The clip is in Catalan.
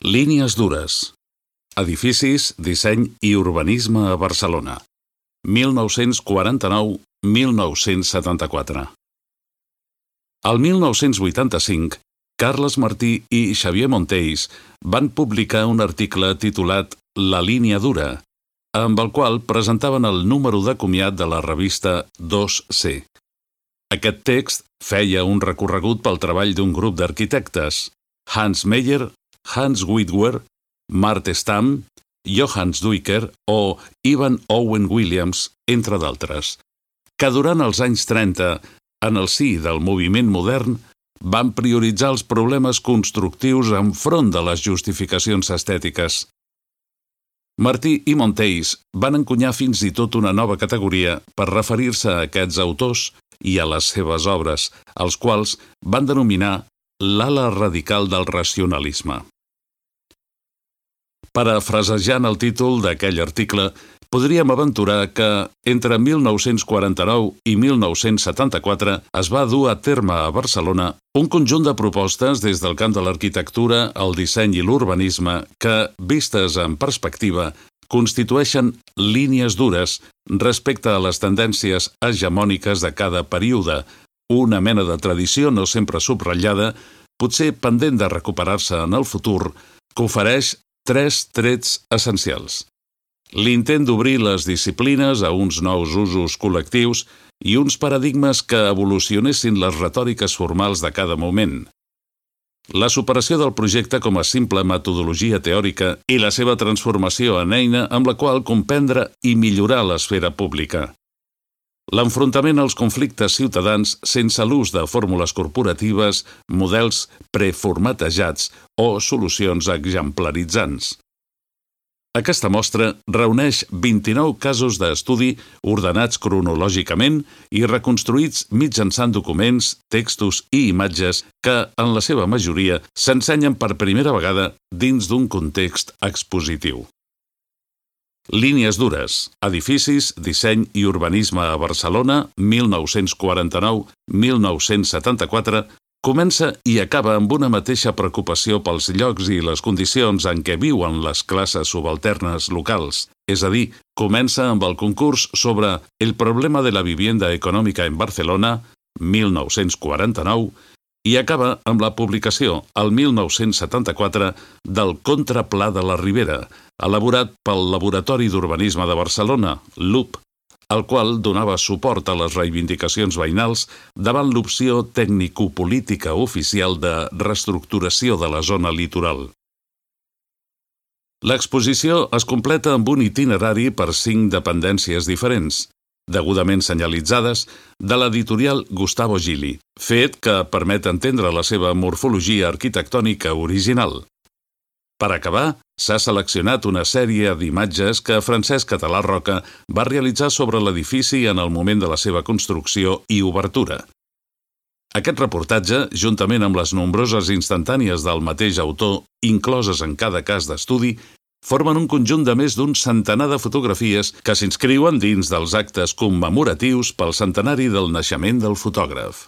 Línies dures. Edificis, disseny i urbanisme a Barcelona. 1949-1974. El 1985, Carles Martí i Xavier Monteys van publicar un article titulat La línia dura, amb el qual presentaven el número de comiat de la revista 2C. Aquest text feia un recorregut pel treball d'un grup d'arquitectes, Hans Meyer, Hans Witwer, Mart Stam, Johannes Duiker o Ivan Owen Williams, entre d'altres, que durant els anys 30, en el si del moviment modern, van prioritzar els problemes constructius enfront de les justificacions estètiques. Martí i Monteys van encunyar fins i tot una nova categoria per referir-se a aquests autors i a les seves obres, els quals van denominar l'ala radical del racionalisme. Parafrasejant el títol d'aquell article, podríem aventurar que entre 1949 i 1974 es va dur a terme a Barcelona un conjunt de propostes des del camp de l'arquitectura, el disseny i l'urbanisme que, vistes en perspectiva, constitueixen línies dures respecte a les tendències hegemòniques de cada període, una mena de tradició no sempre subratllada, potser pendent de recuperar-se en el futur, que ofereix tres trets essencials. L'intent d'obrir les disciplines a uns nous usos col·lectius i uns paradigmes que evolucionessin les retòriques formals de cada moment. La superació del projecte com a simple metodologia teòrica i la seva transformació en eina amb la qual comprendre i millorar l'esfera pública. L'enfrontament als conflictes ciutadans sense l'ús de fórmules corporatives, models preformatejats o solucions exemplaritzants. Aquesta mostra reuneix 29 casos d'estudi ordenats cronològicament i reconstruïts mitjançant documents, textos i imatges que, en la seva majoria, s'ensenyen per primera vegada dins d'un context expositiu. Línies dures, edificis, disseny i urbanisme a Barcelona, 1949-1974, comença i acaba amb una mateixa preocupació pels llocs i les condicions en què viuen les classes subalternes locals. És a dir, comença amb el concurs sobre El problema de la vivienda econòmica en Barcelona, 1949, i acaba amb la publicació, el 1974, del Contrapla de la Ribera, elaborat pel Laboratori d'Urbanisme de Barcelona, LUB, el qual donava suport a les reivindicacions veïnals davant l'opció tècnico-política oficial de reestructuració de la zona litoral. L'exposició es completa amb un itinerari per 5 dependències diferents, degudament senyalitzades, de l'editorial Gustavo Gili, fet que permet entendre la seva morfologia arquitectònica original. Per acabar, s'ha seleccionat una sèrie d'imatges que Francesc Català Roca va realitzar sobre l'edifici en el moment de la seva construcció i obertura. Aquest reportatge, juntament amb les nombroses instantànies del mateix autor, incloses en cada cas d'estudi, formen un conjunt de més d'un centenar de fotografies que s'inscriuen dins dels actes commemoratius pel centenari del naixement del fotògraf.